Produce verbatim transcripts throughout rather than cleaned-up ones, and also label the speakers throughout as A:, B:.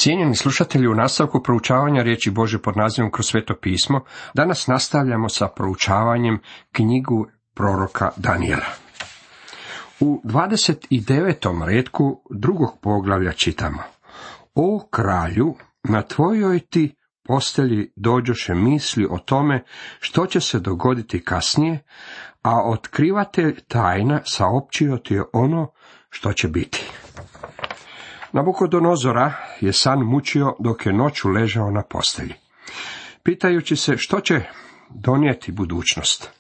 A: Cijenjeni slušatelji, u nastavku proučavanja riječi Božje pod nazivom Kroz sveto pismo, danas nastavljamo sa proučavanjem knjigu proroka Danijela. U dvadeset devetom retku drugog poglavlja čitamo: O kralju, na tvojoj ti postelji dođoše misli o tome što će se dogoditi kasnije, a otkrivatelj tajna saopćio ti je ono što će biti. Nabukodonozora je san mučio dok je noću ležao na postelji, pitajući se što će donijeti budućnost.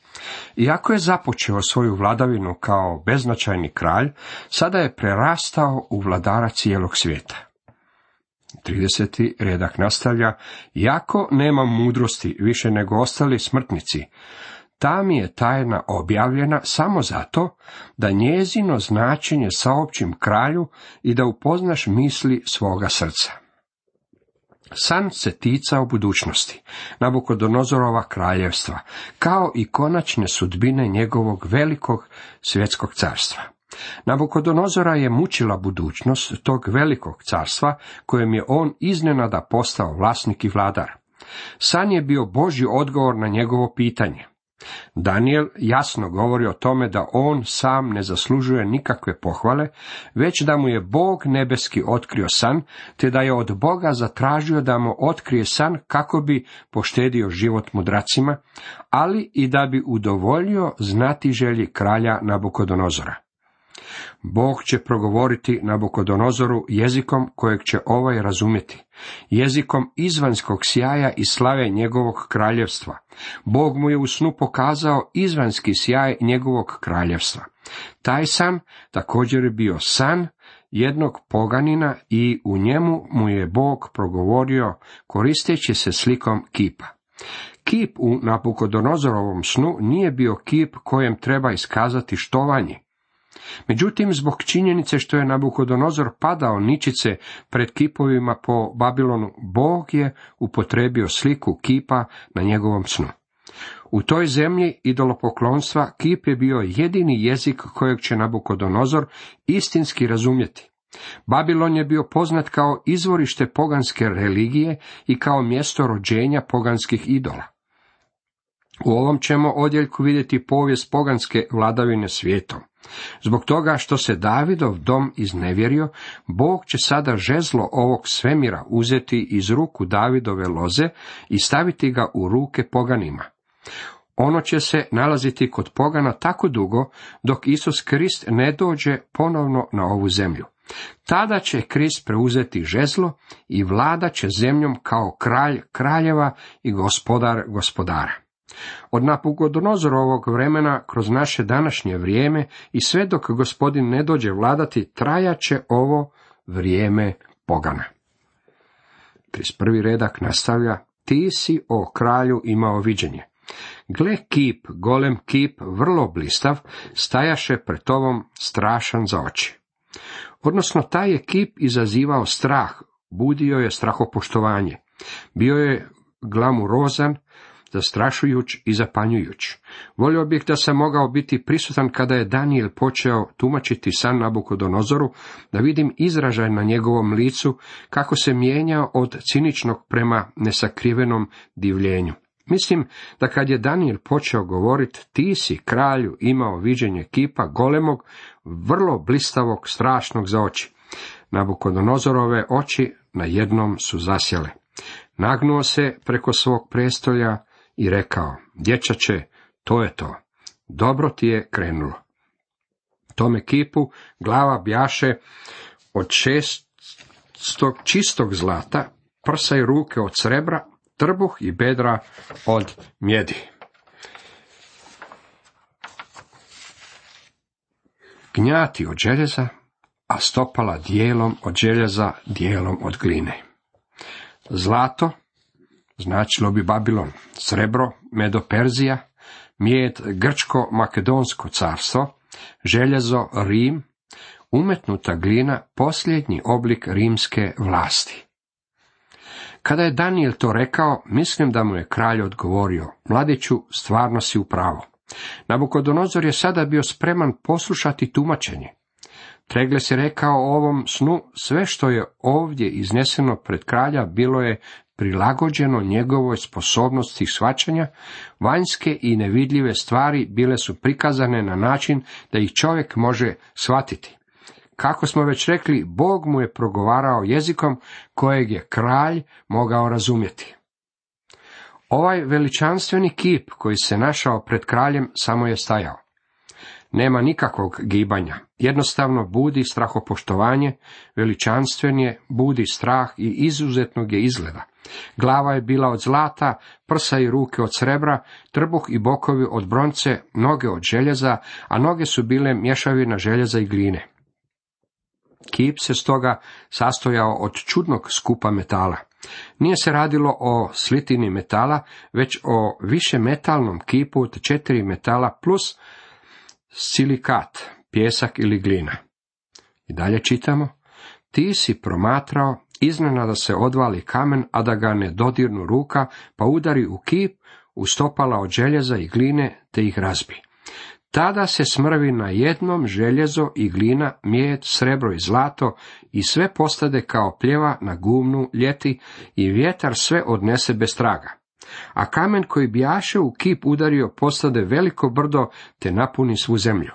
A: Iako je započeo svoju vladavinu kao beznačajni kralj, sada je prerastao u vladara cijelog svijeta. trideseti redak nastavlja: Iako nema mudrosti više nego ostali smrtnici, ta mi je tajna objavljena samo zato da njezino značenje saopćim kralju i da upoznaš misli svoga srca. San se ticao budućnosti, Nabukodonozorova kraljevstva, kao i konačne sudbine njegovog velikog svjetskog carstva. Nabukodonozora je mučila budućnost tog velikog carstva, kojem je on iznenada postao vlasnik i vladar. San je bio Božji odgovor na njegovo pitanje. Danijel jasno govori o tome da on sam ne zaslužuje nikakve pohvale, već da mu je Bog nebeski otkrio san, te da je od Boga zatražio da mu otkrije san kako bi poštedio život mudracima, ali i da bi udovoljio znatiželji kralja Nabukodonozora. Bog će progovoriti Nabukodonozoru jezikom kojeg će ovaj razumjeti, jezikom izvanjskog sjaja i slave njegovog kraljevstva. Bog mu je u snu pokazao izvanjski sjaj njegovog kraljevstva. Taj san također je bio san jednog poganina i u njemu mu je Bog progovorio koristeći se slikom kipa. Kip u Nabukodonozorovom snu nije bio kip kojem treba iskazati štovanje. Međutim, zbog činjenice što je Nabukodonozor padao ničice pred kipovima po Babilonu, Bog je upotrijebio sliku kipa na njegovom snu. U toj zemlji idolopoklonstva kip je bio jedini jezik kojeg će Nabukodonozor istinski razumjeti. Babilon je bio poznat kao izvorište poganske religije i kao mjesto rođenja poganskih idola. U ovom ćemo odjeljku vidjeti povijest poganske vladavine svijetom. Zbog toga što se Davidov dom iznevjerio, Bog će sada žezlo ovog svemira uzeti iz ruku Davidove loze i staviti ga u ruke poganima. Ono će se nalaziti kod pogana tako dugo dok Isus Krist ne dođe ponovno na ovu zemlju. Tada će Krist preuzeti žezlo i vladat će zemljom kao kralj kraljeva i gospodar gospodara. Od Nabukodonozorovog vremena kroz naše današnje vrijeme i sve dok Gospodin ne dođe vladati, trajat će ovo vrijeme pogana. trideset prvi redak nastavlja: Ti si, o kralju, imao viđenje. Gle, kip, golem kip, vrlo blistav, stajaše pred tobom strašan za oči. Odnosno, taj je kip izazivao strah, budio je strahopoštovanje. Bio je glamurozan, zastrašujuć i zapanjujuć. Volio bih da sam mogao biti prisutan kada je Danijel počeo tumačiti san Nabukodonozoru, da vidim izražaj na njegovom licu, kako se mijenjao od ciničnog prema nesakrivenom divljenju. Mislim da kad je Danijel počeo govoriti, ti si, kralju, imao viđenje kipa golemog, vrlo blistavog, strašnog za oči. Nabukodonozorove oči na jednom su zasjele. Nagnuo se preko svog prestolja i rekao: Dječače, to je to. Dobro ti je krenulo. Tome kipu glava bjaše od šestog čistog zlata, prsa i ruke od srebra, trbuh i bedra od mjedi. Gnjati od željeza, a stopala dijelom od željeza, dijelom od gline. Zlato značilo bi Babilon, srebro Medo-Perzija, mjed Grčko-Makedonsko carstvo, željezo Rim, umetnuta glina posljednji oblik rimske vlasti. Kada je Danijel to rekao, mislim da mu je kralj odgovorio: Mladiću, stvarno si u pravu. Nabukodonozor je sada bio spreman poslušati tumačenje. Tregles je rekao o ovom snu: sve što je ovdje izneseno pred kralja bilo je prilagođeno njegovoj sposobnosti shvaćanja, vanjske i nevidljive stvari bile su prikazane na način da ih čovjek može shvatiti. Kako smo već rekli, Bog mu je progovarao jezikom kojeg je kralj mogao razumjeti. Ovaj veličanstveni kip koji se našao pred kraljem samo je stajao. Nema nikakvog gibanja, jednostavno budi strahopoštovanje, veličanstven je, budi strah i izuzetnog je izgleda. Glava je bila od zlata, prsa i ruke od srebra, trbuh i bokovi od bronce, noge od željeza, a noge su bile mješavina željeza i gline. Kip se stoga sastojao od čudnog skupa metala. Nije se radilo o slitini metala, već o višemetalnom kipu od četiri metala plus silikat, pjesak ili glina. I dalje čitamo: ti si promatrao, iznenada se odvali kamen, a da ga ne dodirnu ruka, pa udari u kip, u stopala od željeza i gline, te ih razbi. Tada se smrvi na jednom željezo i glina, mjed, srebro i zlato, i sve postade kao pljeva na gumnu ljeti, i vjetar sve odnese bez traga. A kamen koji bijaše u kip udario postade veliko brdo, te napuni svu zemlju.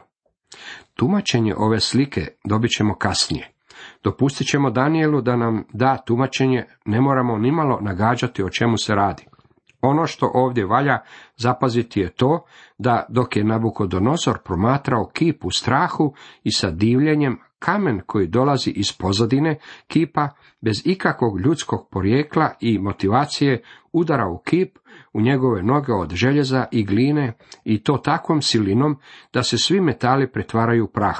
A: Tumačenje ove slike dobit ćemo kasnije. Dopustit ćemo Danijelu da nam da tumačenje, ne moramo nimalo nagađati o čemu se radi. Ono što ovdje valja zapaziti je to, da dok je Nabukodonozor promatrao kip u strahu i sa divljenjem, kamen koji dolazi iz pozadine kipa, bez ikakvog ljudskog porijekla i motivacije, udara u kip, u njegove noge od željeza i gline, i to takvom silinom da se svi metali pretvaraju u prah.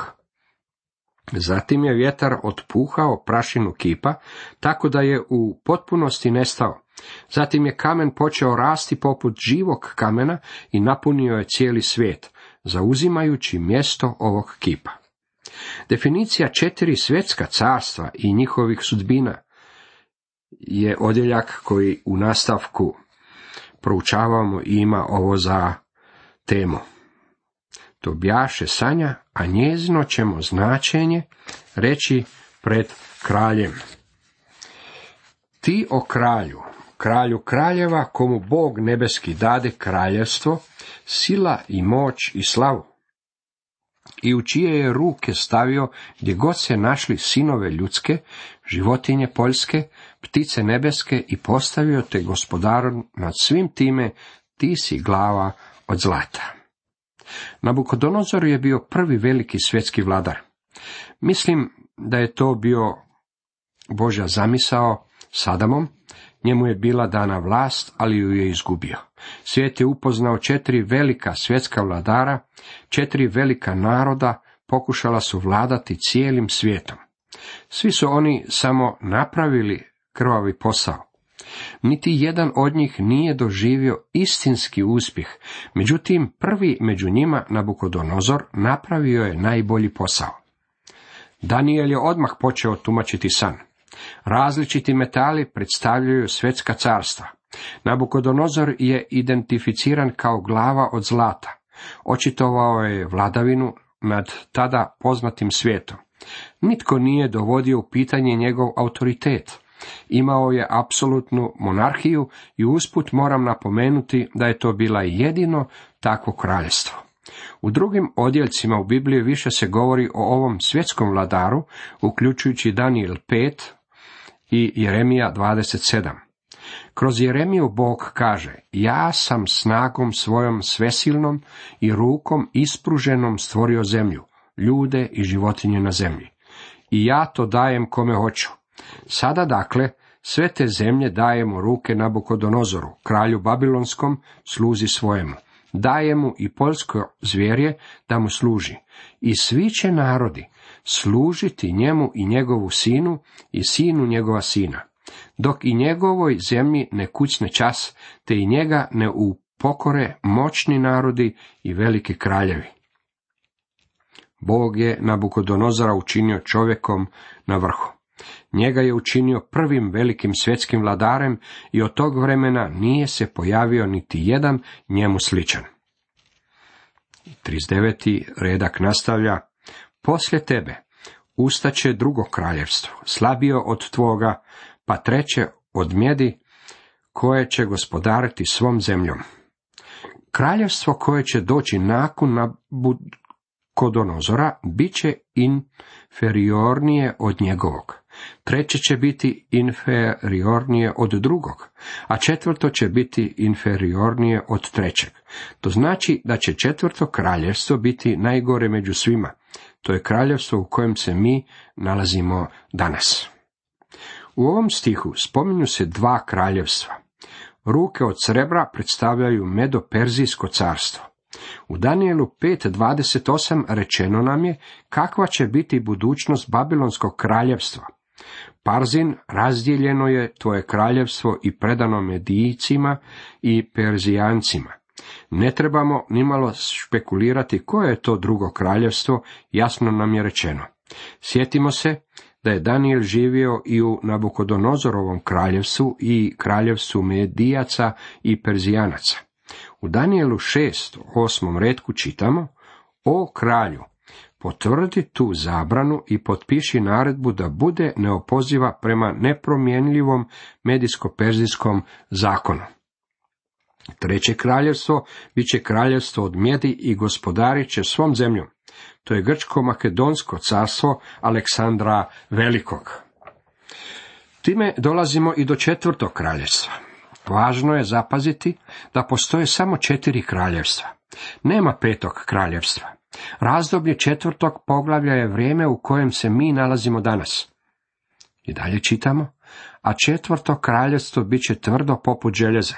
A: Zatim je vjetar otpuhao prašinu kipa, tako da je u potpunosti nestao. Zatim je kamen počeo rasti poput živog kamena i napunio je cijeli svijet, zauzimajući mjesto ovog kipa. Definicija četiri svjetska carstva i njihovih sudbina je odjeljak koji u nastavku proučavamo i ima ovo za temu. To bjaše sanja, a njezino ćemo značenje reći pred kraljem. Ti o kralju, kralju kraljeva, komu Bog nebeski dade kraljevstvo, sila i moć i slavu, i u čije je ruke stavio gdje god se našli sinove ljudske, životinje poljske, ptice nebeske, i postavio te gospodarom nad svim time, ti si glava od zlata. Nabukodonozor je bio prvi veliki svjetski vladar. Mislim da je to bio Božja zamisao s Adamom. Njemu je bila dana vlast, ali ju je izgubio. Svijet je upoznao četiri velika svjetska vladara, četiri velika naroda pokušala su vladati cijelim svijetom. Svi su oni samo napravili krvavi posao. Niti jedan od njih nije doživio istinski uspjeh, međutim prvi među njima, Nabukodonozor, napravio je najbolji posao. Danijel je odmah počeo tumačiti san. Različiti metali predstavljaju svjetska carstva. Nabukodonozor je identificiran kao glava od zlata. Očitovao je vladavinu nad tada poznatim svijetom. Nitko nije dovodio u pitanje njegov autoritet. Imao je apsolutnu monarhiju i usput moram napomenuti da je to bila jedino takvo kraljevstvo. U drugim odjeljcima u Bibliji više se govori o ovom svjetskom vladaru, uključujući Danijel pet i Jeremija dvadeset sedam. Kroz Jeremiju Bog kaže: ja sam snagom svojom svesilnom i rukom ispruženom stvorio zemlju, ljude i životinje na zemlji. I ja to dajem kome hoću. Sada dakle, sve te zemlje dajemo ruke Nabukodonozoru, kralju babilonskom, sluzi svojemu. Daje mu i poljsko zvjerje da mu služi. I svi će narodi služiti njemu i njegovu sinu i sinu njegova sina, dok i njegovoj zemlji ne kucne čas, te i njega ne upokore moćni narodi i veliki kraljevi. Bog je Nabukodonozora učinio čovjekom na vrhu. Njega je učinio prvim velikim svjetskim vladarem i od tog vremena nije se pojavio niti jedan njemu sličan. trideset deveti redak nastavlja: poslije tebe ustaće drugo kraljevstvo, slabije od tvoga, pa treće od mjedi, koje će gospodariti svom zemljom. Kraljevstvo koje će doći nakon Nabukodonozora bit će inferiornije od njegovog. Treće će biti inferiornije od drugog, a četvrto će biti inferiornije od trećeg. To znači da će četvrto kraljevstvo biti najgore među svima. To je kraljevstvo u kojem se mi nalazimo danas. U ovom stihu spominju se dva kraljevstva. Ruke od srebra predstavljaju Medo-Perzijsko carstvo. U Danijelu pet dvadeset osam rečeno nam je kakva će biti budućnost Babilonskog kraljevstva. Parzin, razdijeljeno je tvoje kraljevstvo i predano Medijcima i Perzijancima. Ne trebamo nimalo špekulirati koje je to drugo kraljevstvo, jasno nam je rečeno. Sjetimo se da je Danijel živio i u Nabukodonozorovom kraljevstvu i kraljevstvu Medijaca i Perzijanaca. U Danijelu šest, osmom retku čitamo: O kralju, potvrdi tu zabranu i potpiši naredbu da bude neopoziva prema nepromjenljivom medijsko-perzijskom zakonu. Treće kraljevstvo bit će kraljevstvo od mjedi i gospodarit će svom zemljom. To je Grčko-Makedonsko carstvo Aleksandra Velikog. Time dolazimo i do četvrtog kraljevstva. Važno je zapaziti da postoje samo četiri kraljevstva. Nema petog kraljevstva. Razdoblje četvrtog poglavlja je vrijeme u kojem se mi nalazimo danas. I dalje čitamo: a četvrto kraljevstvo bit će tvrdo poput željeza,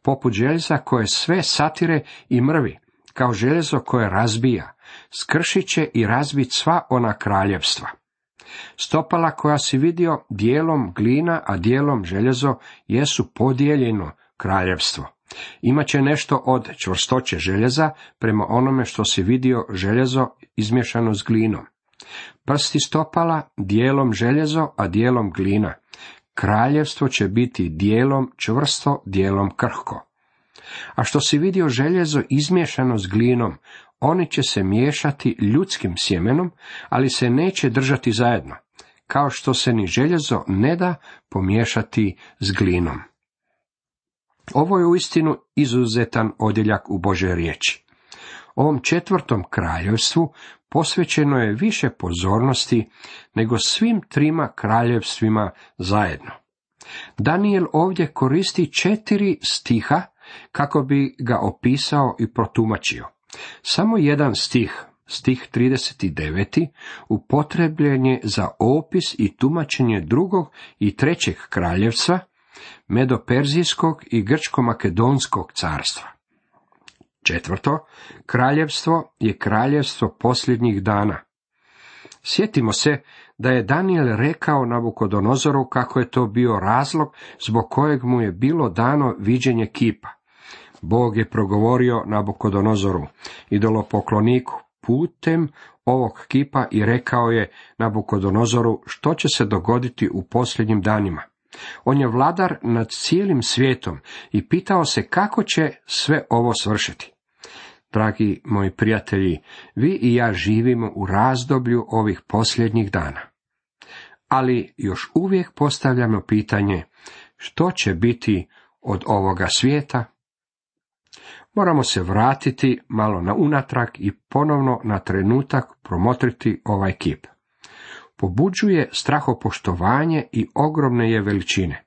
A: poput željeza koje sve satire i mrvi, kao željezo koje razbija, skršit će i razbit sva ona kraljevstva. Stopala koja si vidio dijelom glina, a dijelom željezo, jesu podijeljeno kraljevstvo. Imaće nešto od čvrstoće željeza prema onome što si vidio željezo izmješano s glinom. Prsti stopala dijelom željezo, a dijelom glina. Kraljevstvo će biti dijelom čvrsto, dijelom krhko. A što si vidio željezo izmiješano s glinom, oni će se miješati ljudskim sjemenom, ali se neće držati zajedno, kao što se ni željezo ne da pomiješati s glinom. Ovo je uistinu izuzetan odjeljak u Božoj riječi. Ovom četvrtom kraljevstvu posvećeno je više pozornosti nego svim trima kraljevstvima zajedno. Danijel ovdje koristi četiri stiha kako bi ga opisao i protumačio. Samo jedan stih, stih trideset devet, upotrebljen je za opis i tumačenje drugog i trećeg kraljevstva, Medo-Perzijskog i Grčko-Makedonskog carstva. Četvrto kraljevstvo je kraljevstvo posljednjih dana. Sjetimo se da je Danijel rekao Nabukodonozoru kako je to bio razlog zbog kojeg mu je bilo dano viđenje kipa. Bog je progovorio Nabukodonozoru, idolopokloniku, putem ovog kipa i rekao je Nabukodonozoru što će se dogoditi u posljednjim danima. On je vladar nad cijelim svijetom i pitao se kako će sve ovo svršiti. Dragi moji prijatelji, vi i ja živimo u razdoblju ovih posljednjih dana. Ali još uvijek postavljamo pitanje, što će biti od ovoga svijeta? Moramo se vratiti malo na unatrag i ponovno na trenutak promotriti ovaj kip. Pobuđuje strahopoštovanje i ogromne je veličine.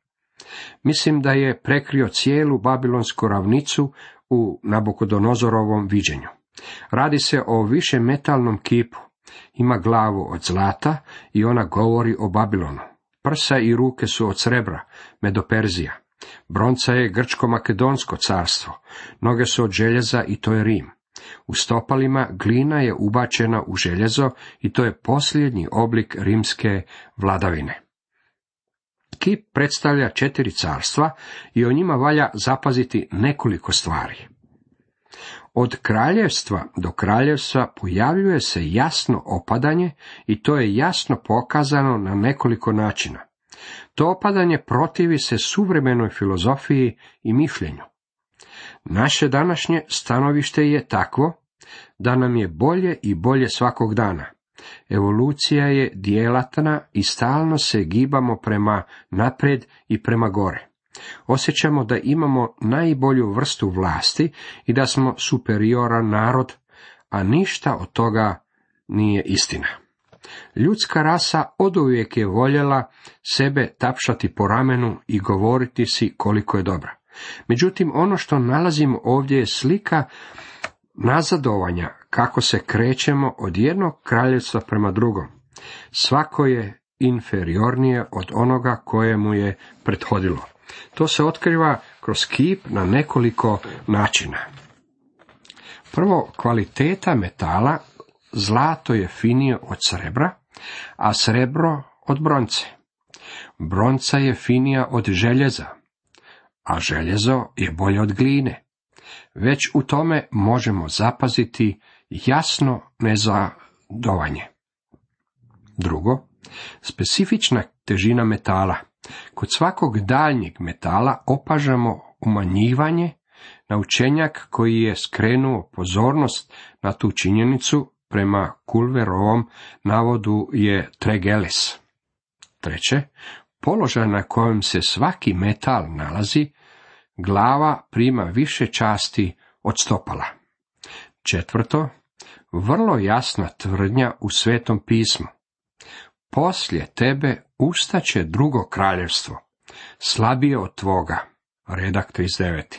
A: Mislim da je prekrio cijelu babilonsku ravnicu u Nabukodonozorovom viđenju. Radi se o višemetalnom kipu. Ima glavu od zlata i ona govori o Babilonu. Prsa i ruke su od srebra, Medo-Perzija. Bronca je Grčko-Makedonsko carstvo. Noge su od željeza i to je Rim. U stopalima glina je ubačena u željezo i to je posljednji oblik rimske vladavine. Kip predstavlja četiri carstva i o njima valja zapaziti nekoliko stvari. Od kraljevstva do kraljevstva pojavljuje se jasno opadanje i to je jasno pokazano na nekoliko načina. To opadanje protivi se suvremenoj filozofiji i mišljenju. Naše današnje stanovište je takvo da nam je bolje i bolje svakog dana. Evolucija je djelatna i stalno se gibamo prema naprijed i prema gore. Osjećamo da imamo najbolju vrstu vlasti i da smo superioran narod, a ništa od toga nije istina. Ljudska rasa oduvijek je voljela sebe tapšati po ramenu i govoriti si koliko je dobra. Međutim, ono što nalazimo ovdje je slika nazadovanja, kako se krećemo od jednog kraljevstva prema drugom. Svako je inferiornije od onoga koje mu je prethodilo. To se otkriva kroz kip na nekoliko načina. Prvo, kvaliteta metala. Zlato je finije od srebra, a srebro od bronce. Bronca je finija od željeza, a željezo je bolje od gline. Već u tome možemo zapaziti jasno nazadovanje. Drugo, specifična težina metala. Kod svakog daljnjeg metala opažamo umanjivanje. Naučenjak koji je skrenuo pozornost na tu činjenicu prema Culverovom navodu je Tregellis. Treće, položaj na kojem se svaki metal nalazi, glava prima više časti od stopala. Četvrto, vrlo jasna tvrdnja u Svetom pismu. Poslije tebe ustaće drugo kraljevstvo, slabije od tvoga. Redak trideset devet.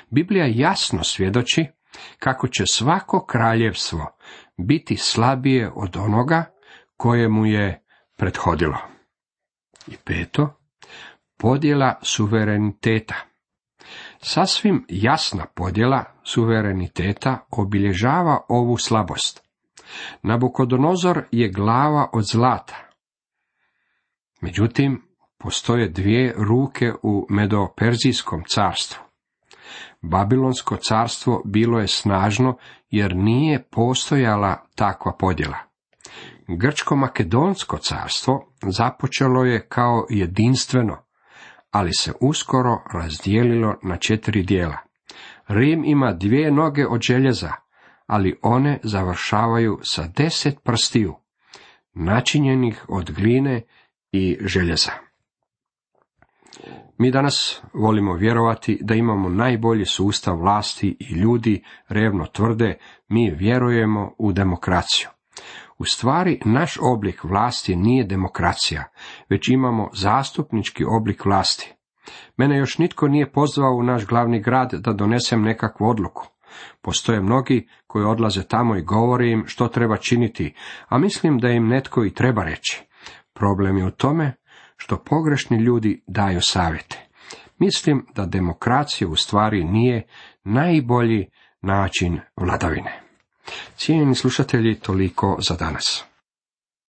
A: Biblija jasno svjedoči kako će svako kraljevstvo biti slabije od onoga koje mu je prethodilo. I peto, podjela suvereniteta. Sasvim jasna podjela suvereniteta obilježava ovu slabost. Nabukodonozor je glava od zlata. Međutim, postoje dvije ruke u Medo-Perzijskom carstvu. Babilonsko carstvo bilo je snažno jer nije postojala takva podjela. Grčko-makedonsko carstvo započelo je kao jedinstveno, ali se uskoro razdijelilo na četiri dijela. Rim ima dvije noge od željeza, ali one završavaju sa deset prstiju, načinjenih od gline i željeza. Mi danas volimo vjerovati da imamo najbolji sustav vlasti i ljudi revno tvrde, mi vjerujemo u demokraciju. U stvari, naš oblik vlasti nije demokracija, već imamo zastupnički oblik vlasti. Mene još nitko nije pozvao u naš glavni grad da donesem nekakvu odluku. Postoje mnogi koji odlaze tamo i govore im što treba činiti, a mislim da im netko i treba reći. Problem je u tome što pogrešni ljudi daju savjete. Mislim da demokracija u stvari nije najbolji način vladavine. Cijenjeni slušatelji, toliko za danas.